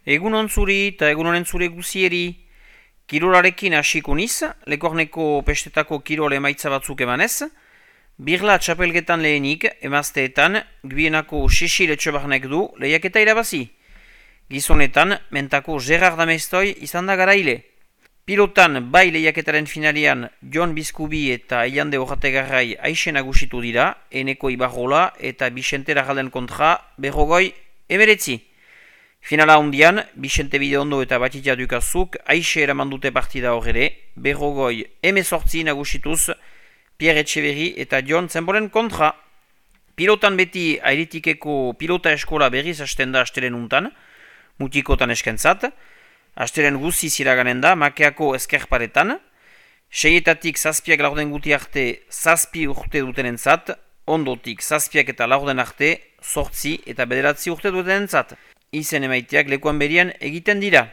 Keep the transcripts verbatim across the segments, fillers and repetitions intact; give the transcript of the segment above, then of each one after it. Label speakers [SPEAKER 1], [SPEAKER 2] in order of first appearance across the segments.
[SPEAKER 1] Egun on zuri eta egun honen zure guzieri. Kirolarekin hasiko niz, Lekorneko pestetako kirol emaitza batzuk emanez. Birla txapelgetan lehenik, emazteetan, Gbienako Xixil Etxebarnek du lehiaketa irabazi. Gizonetan, mentako Gerard Amestoi izan da garaile. Pilotan, bai lehiaketaren finalian, Jon Bizkubi eta Eiande Horategarrai aixe nagusitu dira, Eneko Ibarrola eta Bixente Larralden kontra berrogoi emeretzi. Finala hondian, Bixente Bideondo eta Batitia Dukazuk aixe eraman dute partida horre, berrogoi emezortzi nagusituz Pierre Etxeberri eta Jon Zenbolen kontra. Pilotan beti Airitikeko pilota eskola berriz hasten da astelen untan, mutikotan eskentzat, astelen guzi ziraganen da Makeako eskerparetan, seietatik zazpiak laurden guti arte zazpi urte dutenentzat, ondotik zazpiak eta laurden arte sortzi eta bederatzi urte dutenentzat. Izen emaiteak lekuan berian egiten dira.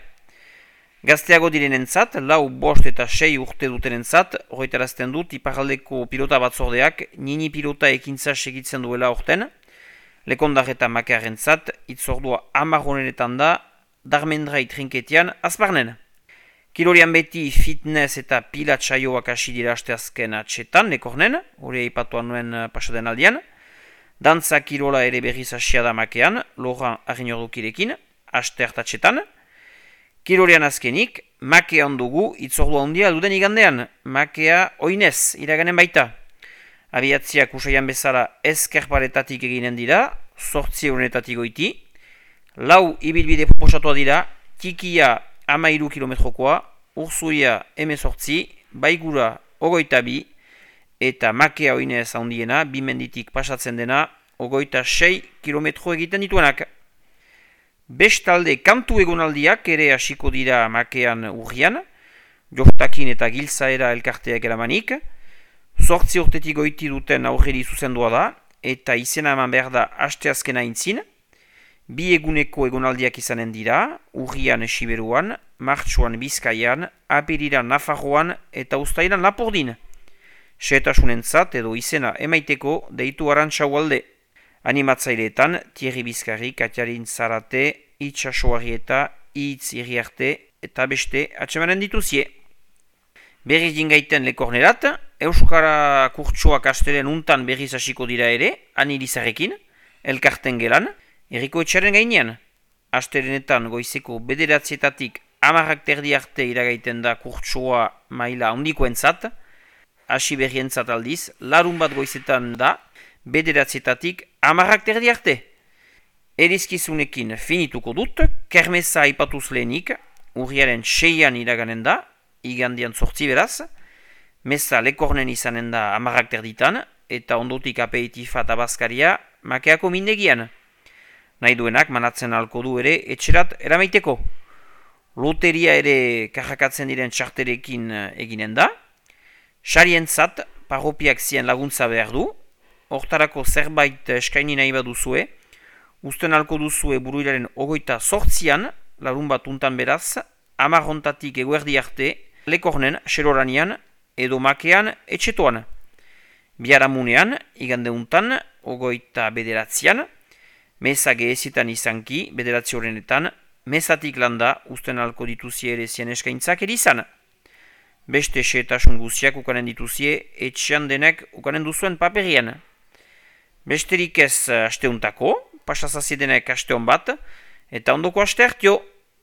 [SPEAKER 1] Gazteago direnentzat, lau bost eta sei urte dutenentzat, horretarazten dut iparaldeko pilota batzordeak nini pilota ekintza segitzen duela orten, lekondar eta makearentzat, itzordua amarronenetan da, darmendrai trinketian azparnen. Kilorian beti fitness eta pila txaioak hasi dira asteazken atxetan, lekornen, hori aipatuan nuen pasaden aldian. Dantza kirola ere berriz hasia da Makean, Laurent Arinordukirekin, aste hartatxetan. Kirolian azkenik, Makean dugu itzordua handia duden igandean, Makea oinez iraganen baita. Abiatziak usaian bezala eskerparetatik eginen dira, sortzi eurunetatik goiti. Lau ibilbide proposatua dira, Tikia amairu kilometrokoa, Urzuia emezortzi, Baigura ogoita bi, eta Makea oinez handiena, bimenditik pasatzen dena, ogoita sei kilometro egiten dituenak. Bestalde kantu egonaldiak ere hasiko dira Makean urrian, Joftakin eta Giltzaera elkarteak eramanik, sortzi urtetik goiti duten aurreri zuzendua da, eta izena eman behar da asteazkena intzin, bi eguneko egonaldiak izanen dira, urrian Siberuan, martxuan Bizkaian, apiriran Nafarroan eta uztailan Lapordin. Sehetasunentzat edo izena emaiteko deitu Arantxau alde. Animatzaileetan Thierry Bizkarri, Katiarin Zarate, Itxasoari eta Itz Iriarte eta beste atsemanen dituzie. Berriz jingaiten Lekornerat, Euskara kurtsoak astelen untan berriz hasiko dira ere, Anilizarekin, elkarten gelan, Eriko Etxaren gainean. Astelenetan goizeko bederatzietatik amarrak terdi arte iragaiten da kurtsoa maila handikoentzat, hasi berrientzat aldiz, larun bat goizetan da, bederatzietatik amarrak terdi arte. Erizkizunekin finituko dut, kermesa aipatuz lehenik, urriaren seian iraganen da, igandian sortzi beraz, meza Lekornen izanen da amarrak terditan, eta ondotik apeitifa eta bazkaria Makeako mindegian. Nahi duenak manatzen alko du ere etxerat eramaiteko. Loteria ere karrakatzen diren txarterekin eginen da, sarientzat parropiak zien laguntza behar du, hortarako zerbait eskaini nahi baduzue, usten alko duzue buruilaren ogoita sortzian, larun bat untan beraz, amarrontatik eguerdi arte, Lekornen, Xeroranian, edo Makean, etxetoan. Biharamunean, igande untan, ogoita bederatzian, meza gehezitan izanki, bederatzi horrenetan, mezatik landa, usten alko dituzie ere zien eskaintzak erizan. Beste xeetasun guziak ukanen dituzie, etxean denek ukanen duzuen paperian. Besterik ez asteuntako, pasazazie denek asteon bat, eta ondoko aste hartio.